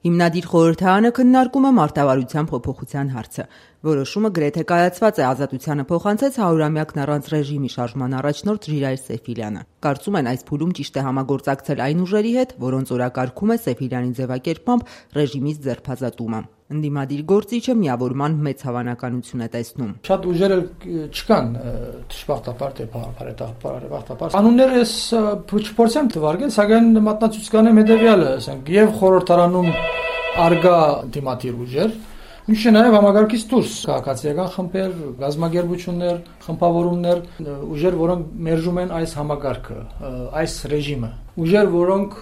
Հիմնադիր խորհրդարանը քննարկում է մարտավարության փոփոխության հարցը։ Որոշումը գրեթե կայացված է, ազատությանը փոխանցեց 100-ամյակն առանց ռեժիմի շարժման առաջնորդ Ժիրայր Սեֆիլյանը։ Կարծում են, այս փուլում ճիշտ է համագործակցել այն ուժերի հետ, որոնց օրակարգում է Սեֆիլյանի ձևակերպմամբ ռեժիմից ձերբազատումը։ Ընդդիմադիր գործիչը միավորման մեծ հավանականություն է տեսնում։ Շատ ուժեր չկան դժբախտաբար թե բարեբախտաբար։ Անունները ես չփորձեմ թվարկել, սակայն մատնացույց կանեմ հետևյալը, ասենք, եւ խորհրդարանում արգա դիմադիր ուժեր, ինչը նաև համագարկից դուրս քաղաքացիական խմբեր, գազագերբություններ, խմբավորումներ, ուժեր, որոնք մերժում են այս համագարկը, այս ռեժիմը, ուժեր, որոնք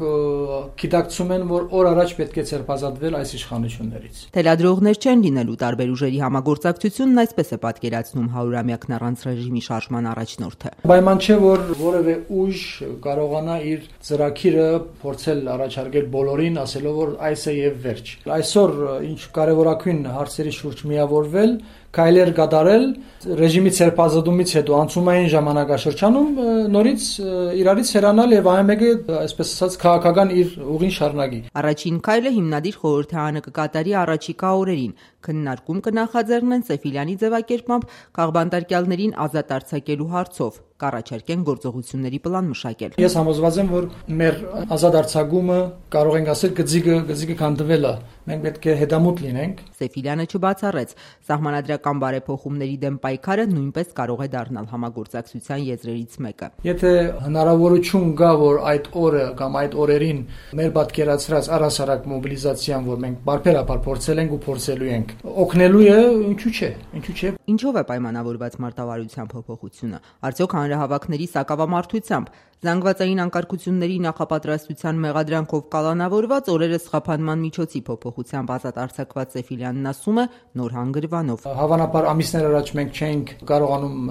գիտակցում են, որ օր առաջ պետք է ձերբազատվել այս իշխանություններից։ Թելադրողներ չեն լինելու տարբեր ուժերի համագործակցությունն այսպես է պատկերացնում 100-ամյակն առանց ռեժիմի շարժման առաջնորդը։ Պայման չէ, որ որևէ ուժ կարողանա իր ծրագիրը փորձել առաջարկել բոլորին, ասելով, որ այս է եւ վերջ։ Այսօր ինչ կարևորագույն հարցերի շուրջ միավորվել, քայլեր կատարել, ռեժիմի ձերբազատումից հետո անցումային ժամանակաշրջանում նորից իրարից հեռանալ եւ ամենը, այսպես ասած, քաղաքական իր ուղին շարունակի։ Առաջին քայլը հիմնադիր խորհրդարանը կկատարի առաջիկա օրերին։ Քննարկում կնախաձեռնեն Սեֆիլյանի ձևակերպմամբ քաղբանտարկյալներին ազատ արձակելու հարցով, կառաջարկեն գործողությունների պլան մշակել։ Ես համոզված եմ, որ մեր ազատ արձակումը կարող ենք ասել գծիկը քանդվել է։ Մենք պետք է հետամուտ լինենք։ Սեֆիլյանը չբացառեց, սահմանադրական բարեփոխումների դեմ պայքարը նույնպես կարող է դառնալ համագործակցության եզրերից մեկը։ Եթե հնարավորություն կա, որ այդ օրը կամ այդ օրերին մեր պատկերացրած առհասարակ մոբիլիզացիան, որ մենք բարբերաբար փորձել ենք ու փորձելու ենք, օգնելու է, ինչու՞ չէ։ Ինչով է պայմանավորված մարտավարության փոփոխությունը։ Արդյոք հանրահավաքների սակավամարտությամբ, զանգվածային անկարգությունների նախապատրաստության մեղադրանքով կալանավորված, օրերս խափանման միջոցի փոփոխությամբ ազատ արձակված Սեֆիլյանն ասում է նոր հանգրվանով։ Հավանաբար ամիսներ առաջ մենք չէինք կարողանում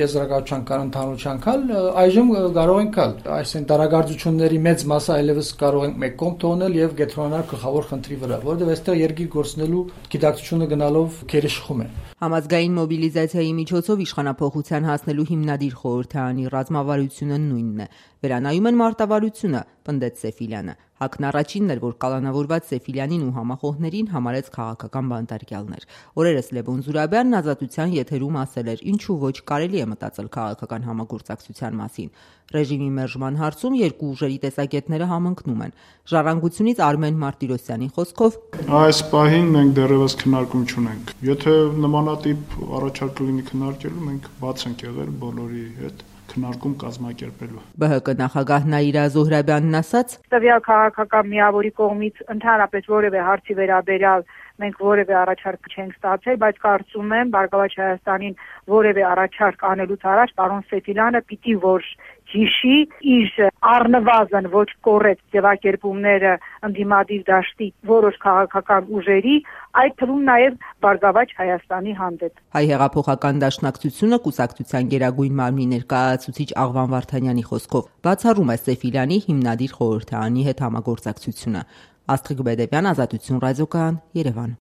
եզրակացության կան ընդհանրության կալ, այժմ կարող ենք կալ։ Այսինքն դարագործությունների մեծ մասը այլևս կարող ենք մեկ կողմ թողնել եւ կենտրոնանալ գլխավոր խնդրի վրա, որովհետեւ այստեղ երկիր գործնելու գիտակցությունը գնալով քերեշխում է։ Համազգային մոբիլիզացիայի միջոցով իշխանափոխության հասնելու հիմնադիր խորհրդարանի ռազմավարությունը նույնն է։ Վերանայում են մարտավարությունը, պնդեց Սեֆիլյանը։ Հակն առաջինն էր, որ կալանավորված Սեֆիլյանին ու համախոհներին համարեց քաղաքական բանտարկյալներ։ Օրերս Լևոն Զուրաբյանն Ազատության եթերում ասել էր, ինչու ոչ կարելի է մտածել քաղաքական համագործակցության մասին։ Ռեժիմի մերժման հարցում երկու ուժերի տեսակետները համընկնում են։ Ժառանգությունից Արմեն Մարտիրոսյանի խոսքով այս պահին մենք դեռևս քննարկում չունենք։ Եթե նմանատիպ առաջարկ լինի քննարկելու, մենք բաց ենք եղել բոլորի հետ քննարկում կազմակերպելու։ ԲՀԿ նախագահ Նաիրա Զոհրաբյանն ասաց. Տվյալ քաղաքական միավորի կողմից ընդհանրապես որևէ հարցի վերաբերյալ մենք որևէ առաջարկ չենք ստացել, բայց կարծում եմ Բարգավաճ Հայաստանին որևէ առաջարկ անելուց առաջ պարոն Սեֆիլյանը պիտի որ հիշի իր առնվազն ոչ կոռեկտ ձևակերպումները ընդդիմադիր դաշտի որոշ քաղաքական ուժերի, այդ թվում նաև Բարգավաճ Հայաստանի հանդեպ։ Հայ հեղափոխական դաշնակցությունը կուսակցության գերագույն մարմնի ներկայացուցիչ Աղվան Վարդանյանի խոսքով բացառում է Սեֆիլյանի հիմնադիր խորհրդարանի հետ համագործակցությունը։ Աստղիկ Բեդևյան, Ազատություն ռադիոկայան, Երևան։